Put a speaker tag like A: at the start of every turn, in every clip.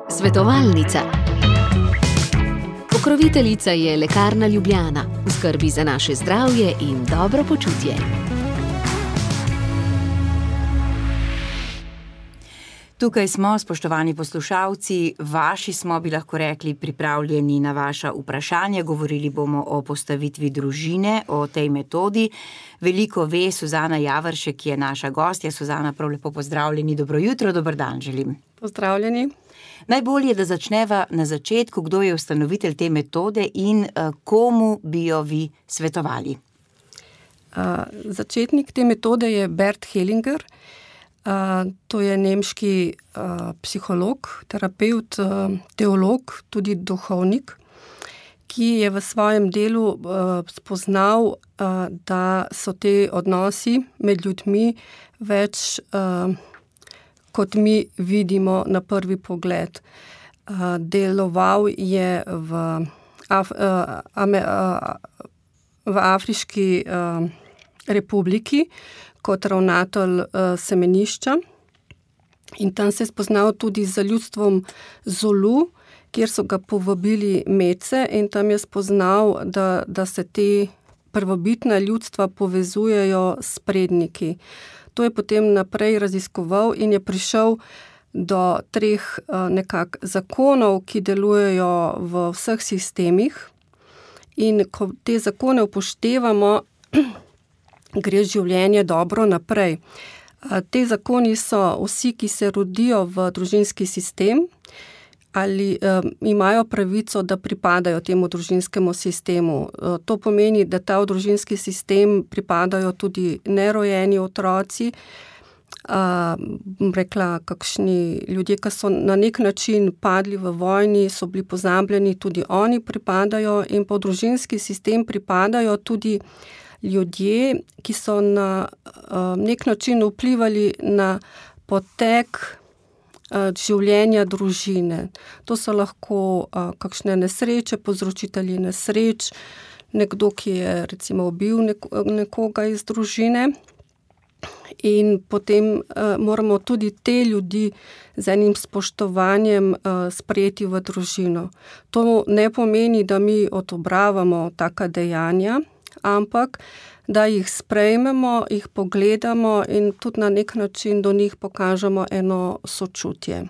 A: Svetovalnica. Pokroviteljica je Lekarna Ljubljana, v skrbi za naše zdravje in dobro počutje.
B: Tukaj smo, spoštovani poslušalci, vaši smo, bi lahko rekli, pripravljeni na vaša vprašanja. Govorili bomo o postavitvi družine, o tej metodi. Veliko ve Suzana Javoršek, ki je naša gostja. Suzana, prav lepo pozdravljeni, dobro jutro, dober dan želim.
C: Pozdravljeni.
B: Najbolje je, da začneva na začetku, kdo je ustanovitelj te metode in komu bi jo vi svetovali.
C: Začetnik te metode je Bert Hellinger. To je nemški psiholog, terapevt, teolog, tudi duhovnik, ki je v svojem delu spoznal, da so te odnosi med ljudmi več, kot mi vidimo na prvi pogled. Deloval je v Afriški republiki kot ravnatelj semenišča in tam se je spoznal tudi z ljudstvom Zulu, kjer so ga povabili medse in tam je spoznal, da se te prvobitna ljudstva povezujejo s predniki. To je potem naprej raziskoval in je prišel do 3 zakonov, ki delujejo v vseh sistemih. In ko te zakone upoštevamo, gre življenje dobro naprej. Te zakoni so vsi, ki se rodijo v družinski sistem ali imajo pravico, da pripadajo temu družinskemu sistemu. To pomeni, da ta v družinski sistem pripadajo tudi nerojeni otroci, rekla, kakšni ljudje, ki so na nek način padli v vojni, so bili pozabljeni, tudi oni pripadajo in po družinski sistem pripadajo tudi ljudje, ki so na nek način vplivali na potek življenja družine. To so lahko kakšne nesreče, povzročitelji nesreč, nekdo, ki je recimo ubil nekoga iz družine. In potem moramo tudi te ljudi z enim spoštovanjem sprejeti v družino. To ne pomeni, da mi odobravamo taka dejanja, ampak da jih sprejmemo, jih pogledamo in tudi na nek način do njih pokažemo eno sočutje.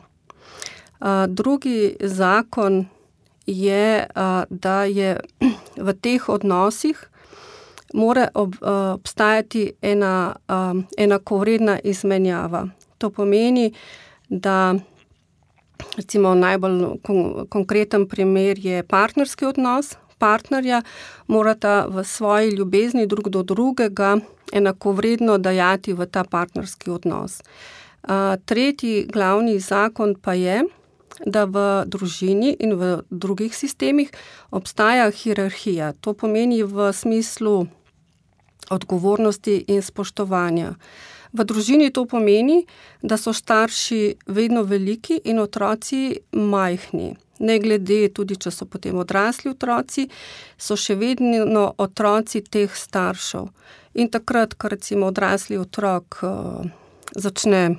C: Drugi zakon je, da je v teh odnosih mora obstajati ena enakovredna izmenjava. To pomeni, da recimo najbolj konkreten primer je partnerski odnos. Partnerja morata v svoji ljubezni drug do drugega enakovredno dajati v ta partnerski odnos. Tretji glavni zakon pa je, da v družini in v drugih sistemih obstaja hierarhija. To pomeni v smislu odgovornosti in spoštovanja. V družini to pomeni, da so starši vedno veliki in otroci majhni. Ne glede, tudi če so potem odrasli otroci, so še vedno otroci teh staršev. In takrat, ko recimo odrasli otrok začne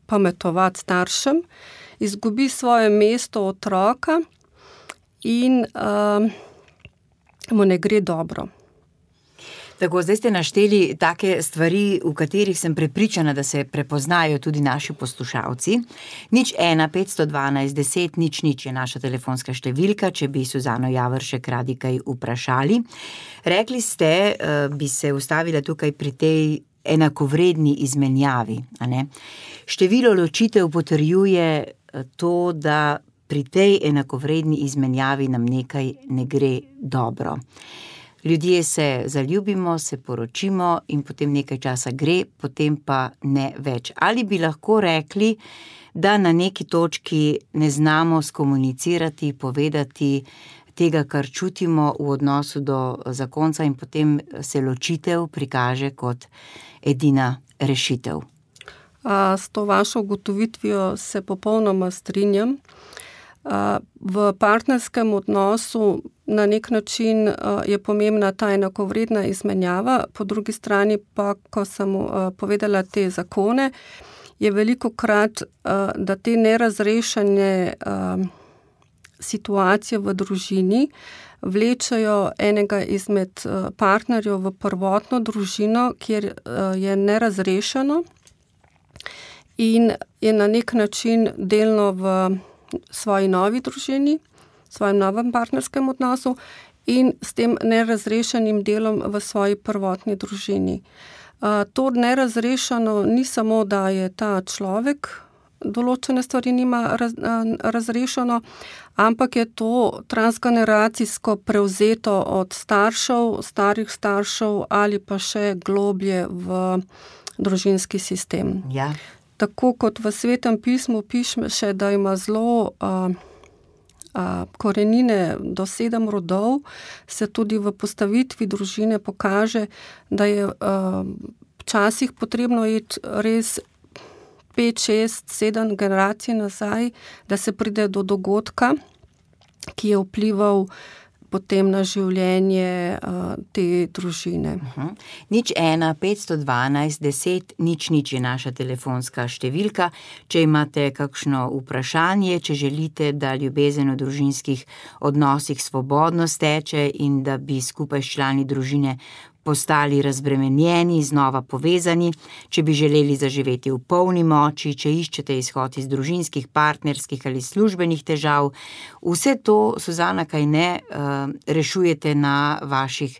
C: pametovati staršem, izgubi svoje mesto otroka in mu ne gre dobro.
B: Tako, zdaj ste našteli take stvari, v katerih sem prepričana, da se prepoznajo tudi naši poslušalci. 01-512-10-00 je naša telefonska številka, če bi Suzano Javoršek radi kaj vprašali. Rekli ste, bi se ustavila tukaj pri tej enakovredni izmenjavi, a ne? Število ločitev potrjuje to, da pri tej enakovredni izmenjavi nam nekaj ne gre dobro. Ljudje se zaljubimo, se poročimo in potem nekaj časa gre, potem pa ne več. Ali bi lahko rekli, da na neki točki ne znamo skomunicirati, povedati tega, kar čutimo v odnosu do zakonca in potem se ločitev prikaže kot edina rešitev?
C: S to vašo ugotovitvijo se popolnoma strinjam. V partnerskem odnosu na nek način je pomembna ta enakovredna izmenjava, po drugi strani pa, ko sem povedala te zakone, je velikokrat, da te nerazrešene situacije v družini vlečajo enega izmed partnerjev v prvotno družino, kjer je nerazrešeno in je na nek način delno v svoji novi družini, svojem novem partnerskem odnosu in s tem nerazrešenim delom v svoji prvotni družini. To nerazrešeno ni samo, da je ta človek določene stvari nima razrešeno, ampak je to transgeneracijsko prevzeto od staršev, starih staršev ali pa še globlje v družinski sistem.
B: Ja.
C: Tako kot v Svetem pismu piše še, da ima zelo korenine do 7 rodov, se tudi v postavitvi družine pokaže, da je včasih potrebno iti res 5, 6, 7 generacij nazaj, da se pride do dogodka, ki je vplival potem na življenje te družine.
B: 01 512 10 00 je naša telefonska številka. Če imate kakšno vprašanje, če želite, da ljubezen v družinskih odnosih svobodno steče in da bi skupaj s člani družine postali razbremenjeni, znova povezani, če bi želeli zaživeti v polni moči, če iščete izhod iz družinskih, partnerskih ali službenih težav. Vse to, Suzana, kaj ne, rešujete na vaših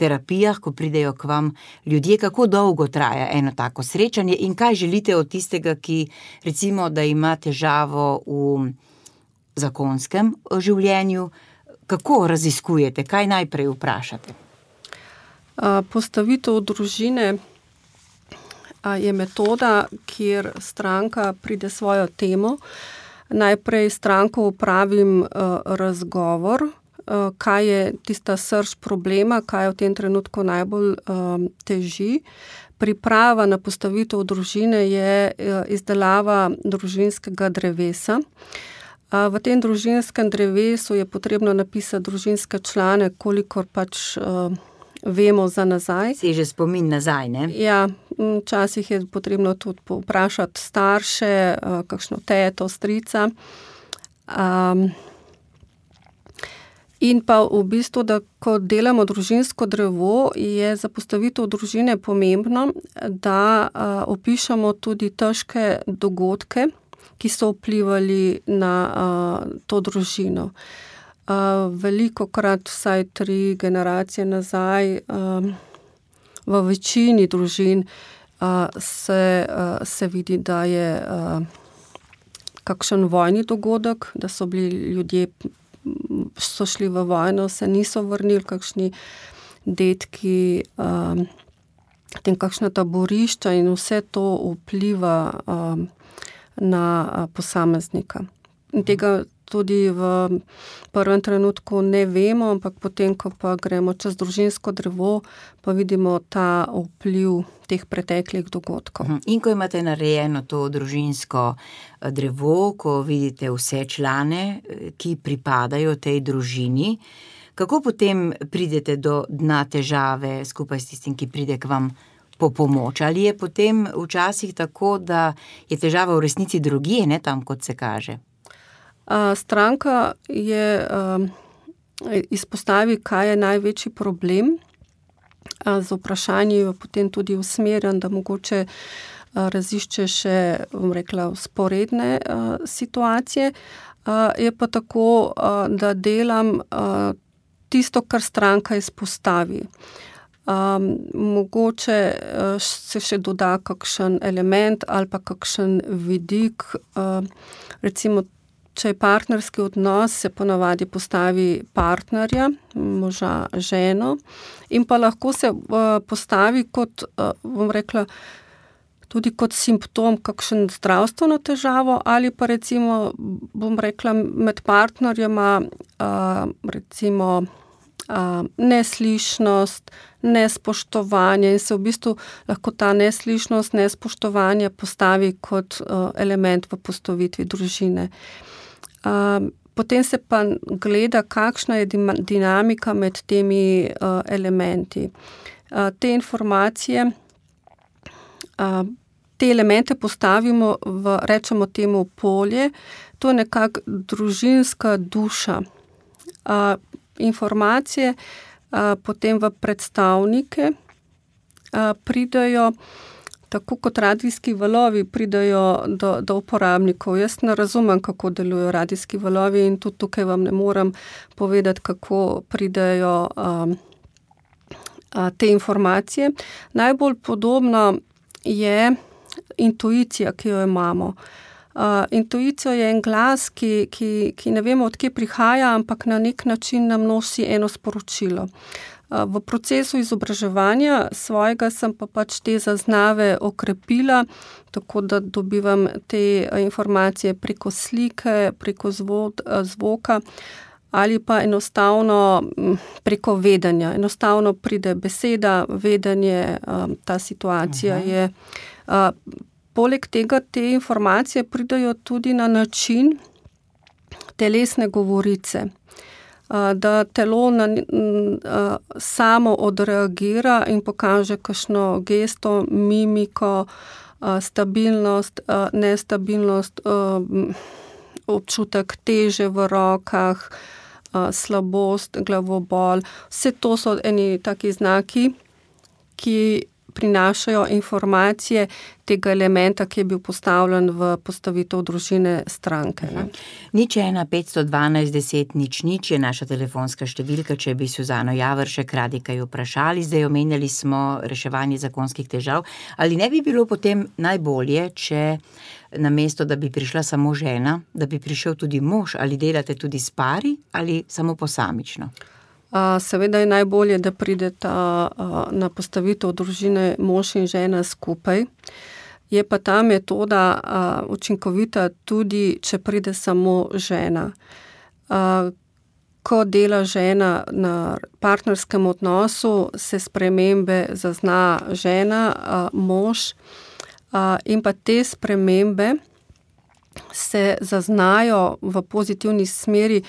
B: terapijah, ko pridejo k vam ljudje. Kako dolgo traja eno tako srečanje in kaj želite od tistega, ki recimo, da ima težavo v zakonskem življenju, kako raziskujete, kaj najprej vprašate?
C: Postavitev družine je metoda, kjer stranka pride svojo temo. Najprej stranko opravim razgovor, kaj je tista srž problema, kaj v tem trenutku najbolj teži. Priprava na postavitev družine je izdelava družinskega drevesa. V tem družinskem drevesu je potrebno napisati družinske člane, kolikor pač vemo za nazaj.
B: Seže spomin nazaj, ne?
C: Ja, včasih je potrebno tudi vprašati starše, kakšno teto, strica. In pa v bistvu, da ko delamo družinsko drevo, je za postavitev družine pomembno, da opišemo tudi težke dogodke, ki so vplivali na to družino. Velikokrat, vsaj 3 generacije nazaj, v večini družin se vidi, da je kakšen vojni dogodek, da so bili ljudje, so šli v vojno, se niso vrnili, kakšni dedki, potem kakšna taborišča in vse to vpliva na posameznika. In tega tudi v prvem trenutku ne vemo, ampak potem, ko pa gremo čez družinsko drevo, pa vidimo ta vpliv teh preteklih dogodkov.
B: In ko imate narejeno to družinsko drevo, ko vidite vse člane, ki pripadajo tej družini, kako potem pridete do dna težave skupaj s tistim, ki pride k vam po pomoč? Ali je potem včasih tako, da je težava v resnici drugje, ne tam, kot se kaže?
C: Stranka izpostavi, kaj je največji problem. Z vprašanji je potem tudi usmerjen, da mogoče razišče še, bom rekla, vzporedne situacije. Je pa tako, da delam tisto, kar stranka izpostavi. Mogoče se še doda kakšen element ali pa kakšen vidik, recimo, če je partnerski odnos, se ponavadi postavi partnerja, moža, ženo, in pa lahko se postavi kot, bom rekla, tudi kot simptom kakšen zdravstveno težavo ali pa recimo, bom rekla, med partnerjema, recimo, neslišnost, nespoštovanje in se v bistvu lahko ta neslišnost, nespoštovanje postavi kot element v postavitvi družine. Potem se pa gleda, kakšna je dinamika med temi elementi. Te informacije te elemente postavimo v, rečemo temu, polje, to je nekako družinska duša. Informacije potem v predstavnike pridajo, tako kot radijski valovi pridajo do uporabnikov. Jaz ne razumem, kako delujejo radijski valovi in tudi tukaj vam ne morem povedati, kako pridajo te informacije. Najbolj podobno je intuicija, ki jo imamo. Intuicija je en glas, ki ne vemo, od kje prihaja, ampak na nek način nam nosi eno sporočilo. V procesu izobraževanja svojega sem pa pač te zaznave okrepila, tako da dobivam te informacije preko slike, preko zvoka ali pa enostavno preko vedenja. Enostavno pride beseda, vedenje, ta situacija je. Poleg tega te informacije pridajo tudi na način telesne govorice, da telo samo odreagira in pokaže kakšno gesto, mimiko, stabilnost, nestabilnost, občutek teže v rokah, slabost, glavobol. Vse to so eni taki znaki, ki prinašajo informacije tega elementa, ki je bil postavljen v postavitev družine stranke.
B: 01 512 10 00 je naša telefonska številka, če bi Suzano Javoršek radi kaj vprašali. Zdaj omenjali smo reševanje zakonskih težav. Ali ne bi bilo potem najbolje, če namesto, da bi prišla samo žena, da bi prišel tudi mož? Ali delate tudi s pari ali samo posamično?
C: Seveda je najbolje, da prideta na postavitev družine mož in žena skupaj. Je pa ta metoda učinkovita tudi, če pride samo žena. Ko dela žena na partnerskem odnosu, se spremembe zazna žena, mož, in pa te spremembe se zaznajo v pozitivni smeri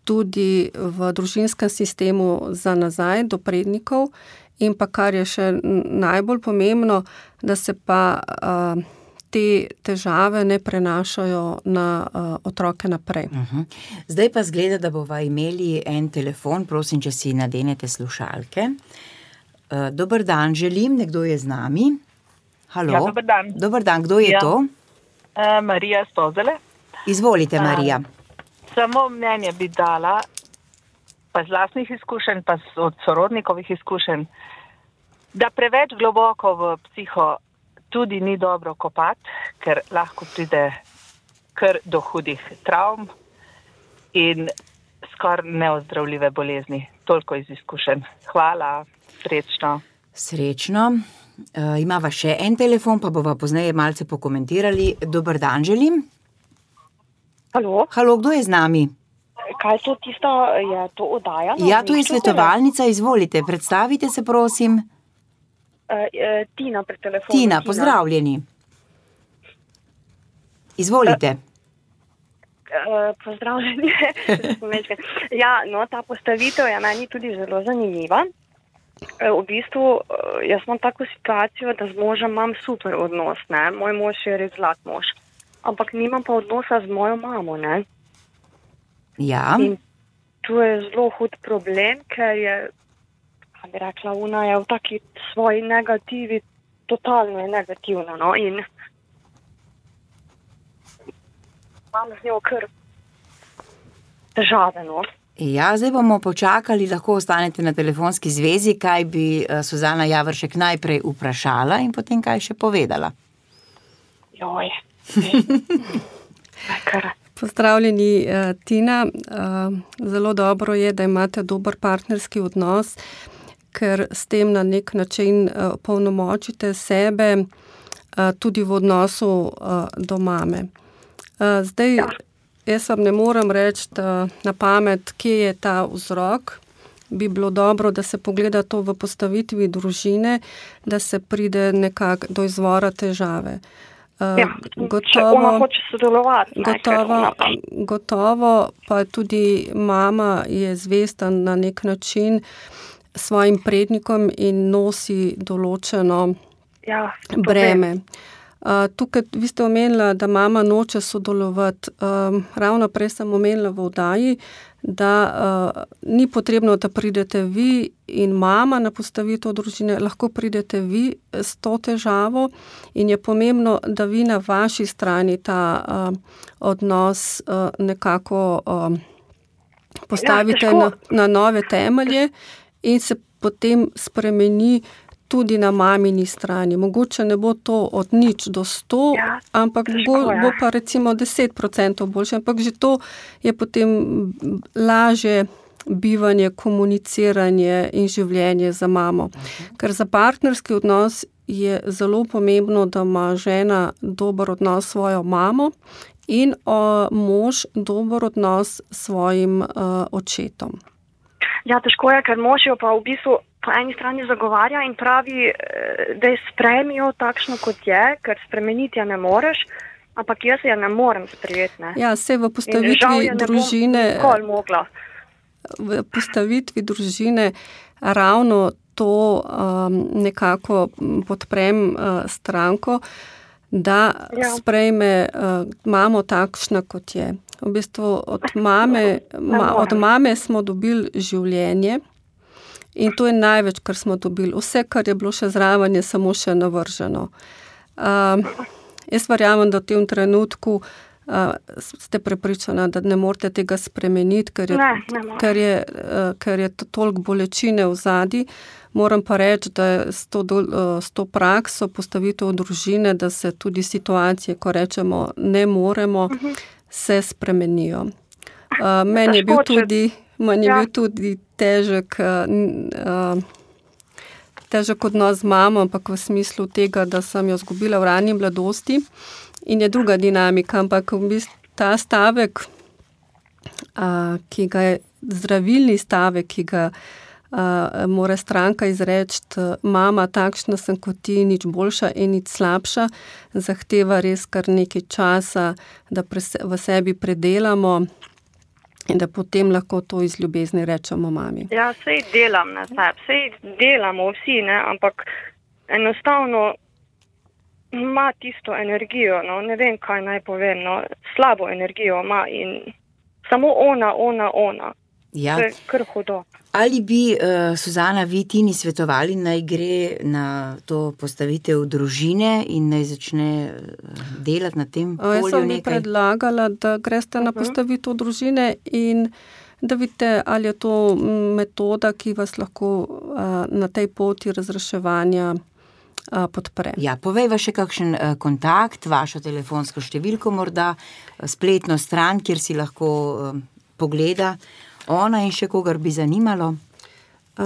C: tudi v družinskem sistemu za nazaj, do prednikov, in pa kar je še najbolj pomembno, da se pa te težave ne prenašajo na otroke naprej.
B: Zdaj pa zgleda, da bova imeli en telefon, prosim, če si nadenete slušalke. Dober dan želim, nekdo je z nami. Halo.
D: Ja, dober dan.
B: Dober dan, kdo je to?
D: Marija Stozele.
B: Izvolite, Marija.
D: Samo mnenje bi dala, pa z lastnih izkušenj, pa od sorodnikovih izkušenj, da preveč globoko v psiho tudi ni dobro kopati, ker lahko pride kar do hudih travm in skoraj neozdravljive bolezni. Toliko iz izkušenj. Hvala, srečno.
B: Srečno. Imava še en telefon, pa bova pozneje malce pokomentirali. Dober dan želim.
E: Halo?
B: Halo, kdo je z nami?
E: Kaj to tisto, je to oddaja?
B: Ja, to je svetovalnica, izvolite, predstavite se, prosim.
E: Tina pred telefonom.
B: Tina, pozdravljeni. Izvolite.
E: Pozdravljeni. Ja, no, ta postavitev je meni tudi zelo zanimiva. V bistvu, jaz imam tako situacijo, da z možem imam super odnos, ne. Moj mož je res zlat mož. Ampak nimam pa odnosa z mojo mamo, ne?
B: Ja.
E: In tu je zelo hud problem, ker je, kaj bi rekla, ona je v taki svoji negativi, totalno je negativna, no, in imam z njo kar težave, no.
B: Ja, zdaj bomo počakali, lahko ostanete na telefonski zvezi, kaj bi Suzana Javoršek najprej vprašala in potem kaj še povedala.
E: Joj.
C: Pozdravljeni, Tina. Zelo dobro je, da imate dober partnerski odnos, ker s tem na nek način polnomočite sebe tudi v odnosu do mame. Zdaj, jaz vam ne morem reči na pamet, kje je ta vzrok. Bi bilo dobro, da se pogleda to v postavitvi družine, da se pride nekako do izvora težave. Gotovo pa tudi mama je zvesta na nek način svojim prednikom in nosi določeno breme. Tukaj vi ste omenila, da mama noče sodelovati. Ravno prej sem omenila v oddaji, da ni potrebno, da pridete vi in mama na postavitev družine, lahko pridete vi s to težavo in je pomembno, da vi na vaši strani ta odnos nekako postavite na nove temelje in se potem spremeni tudi na mamini strani. Mogoče ne bo to od 0 do 100, ampak bo pa recimo 10% boljše, ampak že to je potem lažje bivanje, komuniciranje in življenje za mamo. Ker za partnerski odnos je zelo pomembno, da ima žena dober odnos s svojo mamo in mož dober odnos s svojim očetom.
E: Ja, težko je, ker mož jo pa v bistvu po eni strani zagovarja in pravi, da je sprejmijo takšno, kot je, ker spremeniti je ne moreš, ampak jaz je ne morem sprejeti. Ne?
C: Ja, se v postavitvi družine... V postavitvi družine ravno to nekako podprem stranko, da sprejme mamo takšna, kot je. V bistvu od mame smo dobili življenje in to je največ, kar smo dobili. Vse, kar je bilo še zraven, je samo še navrženo. Jaz verjamem, da v tem trenutku ste prepričana, da ne morete tega spremeniti, ker je toliko bolečine v zadnji. Moram pa reči, da s to prakso postavitev družine, da se tudi situacije, ko rečemo ne moremo, se spremenijo. Meni je bil tudi težek odnos z mamo, ampak v smislu tega, da sem jo izgubila v rani mladosti in je druga dinamika, ampak v bistvu ta stavek, ki ga je zdravilni stavek, ki ga mora stranka izreči, mama, takšna sem kot ti, nič boljša in nič slabša, zahteva res kar nekaj časa, da v sebi predelamo in da potem lahko to iz ljubezni rečemo mami.
E: Ja, sej delam na sebi, sej delamo vsi, ne, ampak enostavno ima tisto energijo, no, ne vem, kaj naj povem, no, slabo energijo ima in samo ona.
B: Ja.
E: To je kar hudo.
B: Ali bi, Suzana, vi Tini svetovali, naj gre na to postavitev družine in naj začne delati na tem polju nekaj?
C: Jaz sem bi predlagala, da greste na postavitev družine in da vidite, ali je to metoda, ki vas lahko na tej poti razreševanja podpre.
B: Ja, povejva še kakšen kontakt, vašo telefonsko številko morda, spletno stran, kjer si lahko pogleda ona in še kogar bi zanimalo.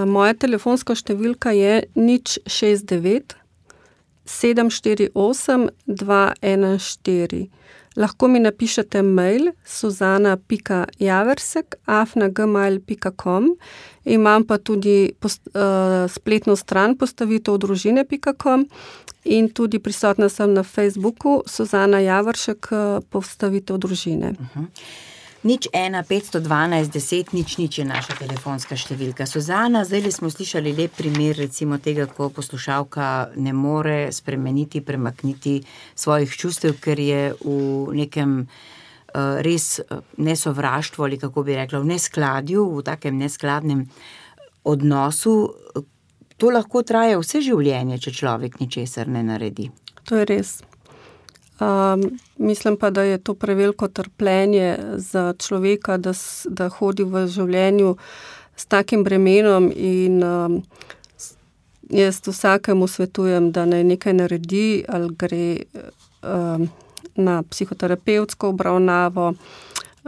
C: Moja telefonska številka je 069 748 214. Lahko mi napišete mail suzana.javersek@gmail.com. Imam pa tudi spletno stran postavitev-družine.com in tudi prisotna sem na Facebooku Suzana Javersek postavitev družine.
B: 01 512 10 00 je naša telefonska številka. Suzana, zdaj smo slišali lep primer recimo tega, ko poslušalka ne more spremeniti, premakniti svojih čustev, ker je v nekem res nesovraštvu ali kako bi rekla, v neskladju, v takem neskladnem odnosu. To lahko traja vse življenje, če človek ničesar ne naredi.
C: To je res. Mislim pa, da je to preveliko trpljenje za človeka, da hodi v življenju s takim bremenom in jaz vsakemu svetujem, da naj nekaj naredi ali gre na psihoterapevtsko obravnavo,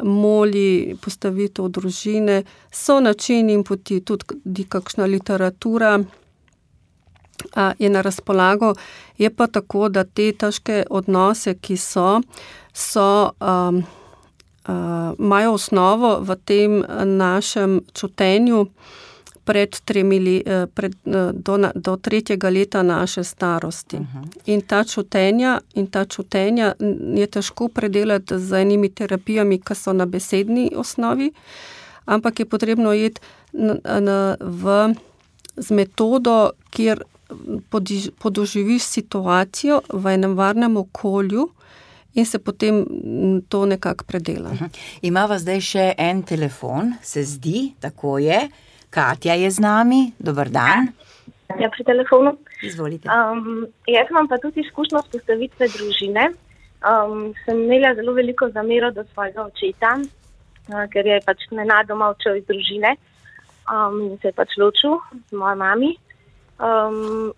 C: moli postavitev družine, so načini in poti, tudi kakšna literatura je na razpolago. Je pa tako, da te težke odnose, ki imajo osnovo v tem našem čutenju do 3. leta naše starosti. In ta čutenja je težko predelati z enimi terapijami, ki so na besedni osnovi, ampak je potrebno iti z metodo, kjer podoživiš situacijo v enem varnem okolju in se potem to nekako predela.
B: Imava zdaj še en telefon, se zdi, tako je. Katja je z nami, dober dan.
F: Ja, pri telefonu.
B: Izvolite.
F: Jaz imam pa tudi izkušnjo vzpostavitve družine. Sem imela zelo veliko zamero do svojega očeta, ker je pač nenadoma odšel iz družine in se je pač ločil z mojo mami.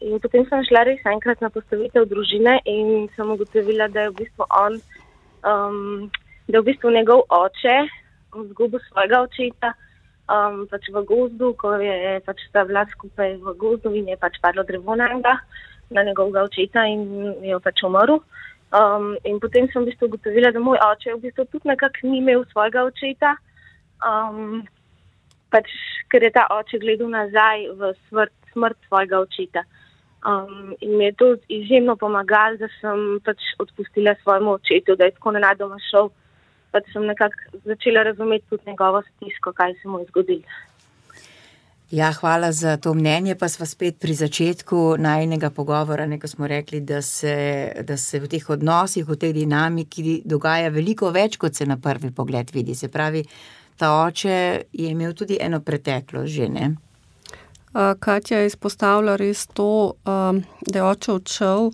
F: In potem sem šla res enkrat na postavitev družine in sem ugotovila, da je v bistvu on, da je v bistvu njegov oče izgubil svojega očeta, pač v gozdu, ko je pač sta bila skupaj v gozdu in je pač padlo drevo na njegovega očeta in je pač umrl. In potem sem v bistvu ugotovila, da moj oče v bistvu tudi nekako ni imel svojega očeta, pač ker je ta oče gledal nazaj v smrt svojega očeta. In mi je to izjemno pomagalo, da sem pač odpustila svojemu očetu, da je tako nenadoma šel. Pač sem nekako začela razumeti tudi njegovo stisko, kaj se mu je zgodilo.
B: Ja, hvala za to mnenje, pa sva spet pri začetku najinega pogovora, ko smo rekli, da se v teh odnosih, v tej dinamiki dogaja veliko več, kot se na prvi pogled vidi. Se pravi, ta oče je imel tudi eno preteklost že, ne?
C: Katja je izpostavila res to, da je oče odšel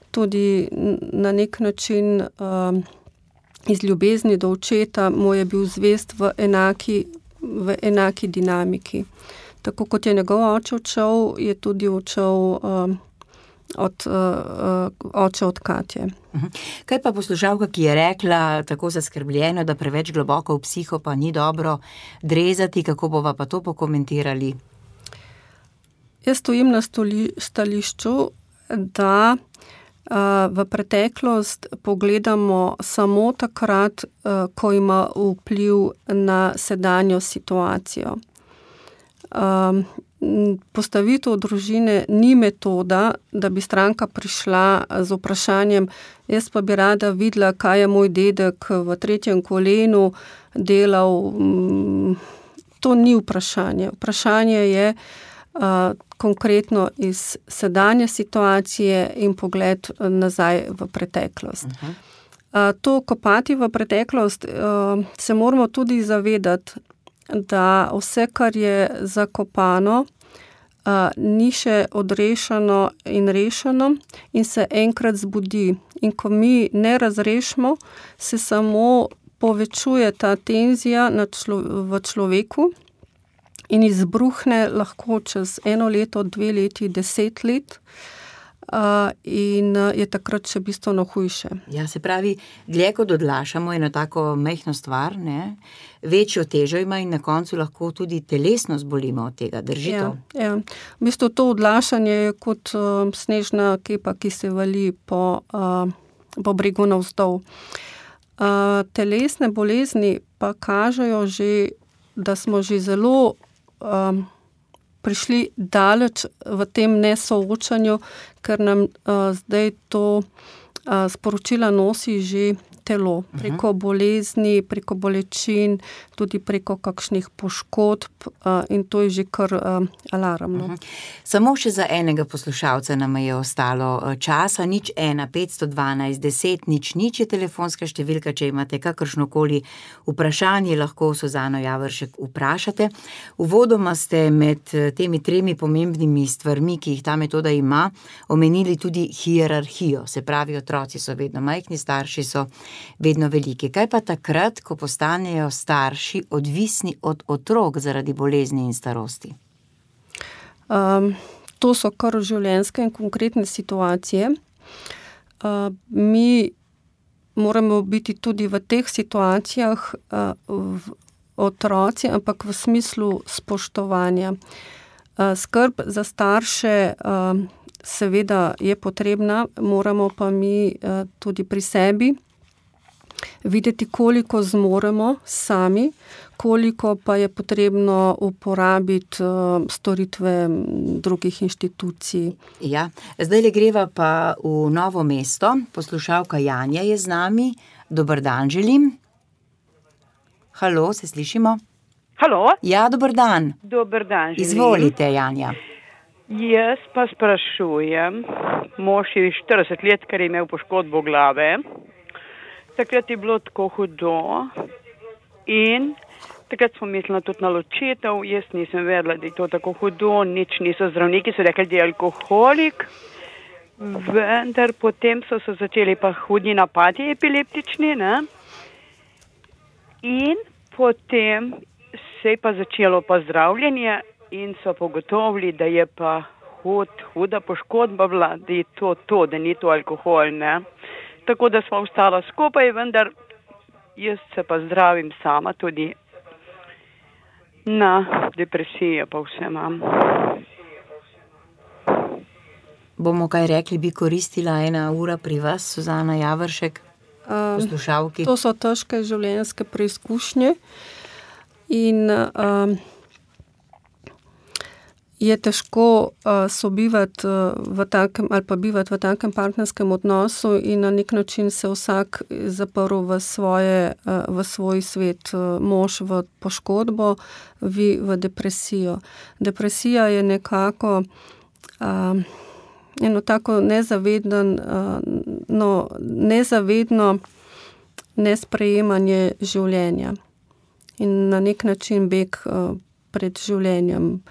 C: tudi na nek način iz ljubezni do očeta, mu je bil zvest v enaki dinamiki. Tako kot je njegov oče odšel, je tudi odšel oče od Katje.
B: Kaj pa poslušalka, ki je rekla tako zaskrbljeno, da preveč globoko v psiho pa ni dobro drezati, kako bova pa to pokomentirali?
C: Jaz stojim na stališču, da v preteklost pogledamo samo takrat, ko ima vpliv na sedanjo situacijo. Postavitev družine ni metoda, da bi stranka prišla z vprašanjem, jaz pa bi rada videla, kaj je moj dedek v 3. kolenu delal. To ni vprašanje. Vprašanje je konkretno iz sedanje situacije in pogled nazaj v preteklost. To kopati v preteklost se moramo tudi zavedati, da vse, kar je zakopano, ni še odrešeno in rešeno in se enkrat zbudi. In ko mi ne razrešimo, se samo povečuje ta tenzija v človeku in izbruhne lahko čez 1 leto, 2 leti, 10 let. In je takrat še bistveno hujše.
B: Ja, se pravi, dlje kot odlašamo eno tako majhno stvar, ne, večjo težo ima in na koncu lahko tudi telesno zbolimo od tega, drži to?
C: Ja. V bistvu to odlašanje je kot snežna kepa, ki se vali po bregu navzdol. Telesne bolezni pa kažejo že, da smo že zelo prišli daleč v tem nesoočanju, ker nam zdaj to sporočila nosi že telo. Preko bolezni, preko bolečin, tudi preko kakšnih poškodb in to je že kar alarmno.
B: Samo še za enega poslušalca nam je ostalo časa, 01 512 10 00 je telefonska številka, če imate kakršnokoli vprašanje, lahko Suzano Javoršek vprašate. Uvodoma ste med temi 3 pomembnimi stvarmi, ki jih ta metoda ima, omenili tudi hierarhijo, se pravi, otroci so vedno majhni, starši so vedno veliki. Kaj pa takrat, ko postanejo starši odvisni od otrok zaradi bolezni in starosti?
C: To so kar življenjske in konkretne situacije. Mi moramo biti tudi v teh situacijah otroci, ampak v smislu spoštovanja. Skrb za starše seveda je potrebna, moramo pa mi tudi pri sebi videti, koliko zmoremo sami, koliko pa je potrebno uporabiti storitve drugih inštitucij.
B: Ja, zdaj le greva pa v Novo mesto. Poslušalka Janja je z nami. Dober dan želim. Halo, se slišimo?
G: Halo?
B: Ja, dober dan.
G: Dober dan želim.
B: Izvolite, Janja.
G: Jaz pa sprašujem, mož je 40 let, ker je imel poškodbo glave. Takrat je bilo tako hudo in takrat smo mislili tudi na ločitev. Jaz nisem vedela, da je to tako hudo, nič niso zdravniki, so rekli, da je alkoholik. Vendar potem so se začeli pa hudi napadi epileptični, ne? In potem se je pa začelo pa zdravljenje in so pogotovili, da je pa huda poškodba bila, da je to, da ni to alkohol, ne. Tako da smo ostala skupaj, vendar jaz se pa zdravim sama tudi na depresijo pa vse imam.
B: Bomo kaj rekli, bi koristila 1 ura pri vas, Suzana Javoršek, poslušalki?
C: To so težke življenjske preizkušnje in je težko sobivati v takem ali pa bivati v takem partnerskem odnosu in na nek način se vsak zaprl v svoj svet, mož v poškodbo, vi v depresijo. Depresija je nekako eno tako nezavedno nesprejemanje življenja in na nek način beg pred življenjem.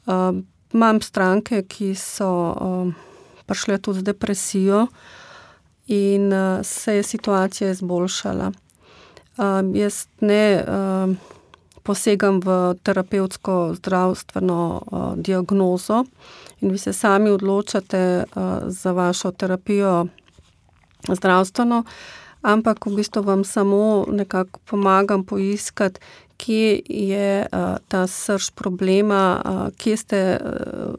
C: Imam stranke, ki so prišle tudi z depresijo in se je situacija izboljšala. Jaz ne posegam v terapevtsko zdravstveno diagnozo in vi se sami odločate za vašo terapijo zdravstveno, ampak v bistvu vam samo nekako pomagam poiskati, kje je ta srž problema, kje ste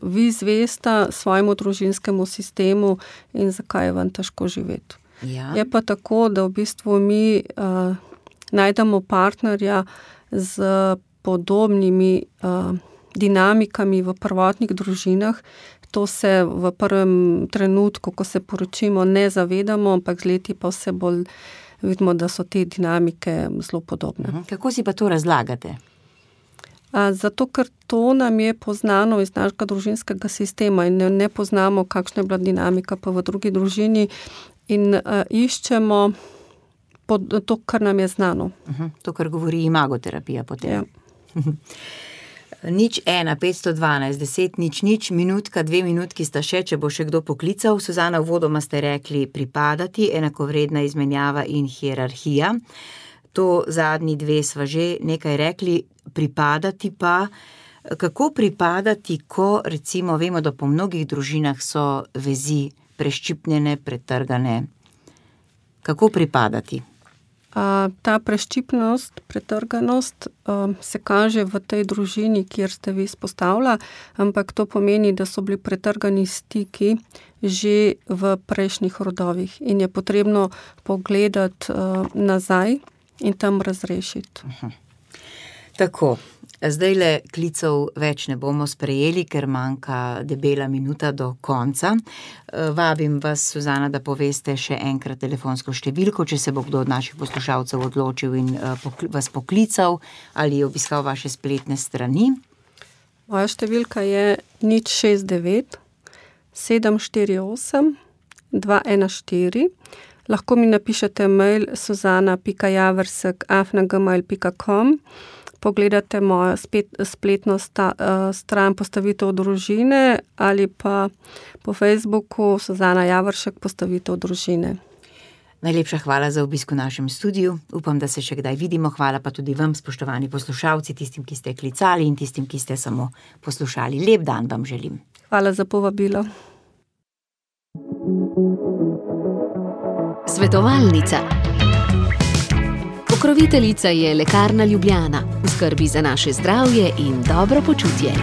C: vi zvesta svojemu družinskemu sistemu in zakaj je vam težko živeti.
B: Ja.
C: Je pa tako, da v bistvu mi najdemo partnerja z podobnimi dinamikami v prvotnih družinah. To se v prvem trenutku, ko se poročimo, ne zavedamo, ampak z leti pa vse bolj vidimo, da so te dinamike zelo podobne.
B: Kako si pa to razlagate?
C: Zato, ker to nam je poznano iz našega družinskega sistema in ne poznamo, kakšna je bila dinamika pa v drugi družini in iščemo to, kar nam je znano.
B: To, kar govori imagoterapija potem.
C: Ja.
B: 01 512 10 00, minutka, 2 minutki sta še, če bo še kdo poklical. Suzana, uvodoma ste rekli pripadati, enakovredna izmenjava in hierarhija. To zadnji 2 sva že nekaj rekli, pripadati pa. Kako pripadati, ko recimo vemo, da po mnogih družinah so vezi preščipnjene, pretrgane? Kako pripadati?
C: Ta preščipnost, pretrganost se kaže v tej družini, kjer ste vi izpostavila, ampak to pomeni, da so bili pretrgani stiki že v prejšnjih rodovih in je potrebno pogledati nazaj in tam razrešiti.
B: Tako, zdajle klicev več ne bomo sprejeli, ker manjka debela minuta do konca. Vabim vas, Suzana, da poveste še enkrat telefonsko številko, če se bo kdo od naših poslušalcev odločil in vas poklical ali obiskal vaše spletne strani.
C: Moja številka je 069 748 214. Lahko mi napišete mail suzana.javrsak@gmail.com. Pogledate mojo spletno stran Postavitev družine ali pa po Facebooku Suzana Javoršek Postavitev družine.
B: Najlepša hvala za obisk v našem studiu. Upam, da se še kdaj vidimo. Hvala pa tudi vam, spoštovani poslušalci, tistim, ki ste klicali in tistim, ki ste samo poslušali. Lep dan vam želim.
C: Hvala za povabilo.
A: Svetovalnica. Pokroviteljica je Lekarna Ljubljana, v skrbi za naše zdravje in dobro počutje.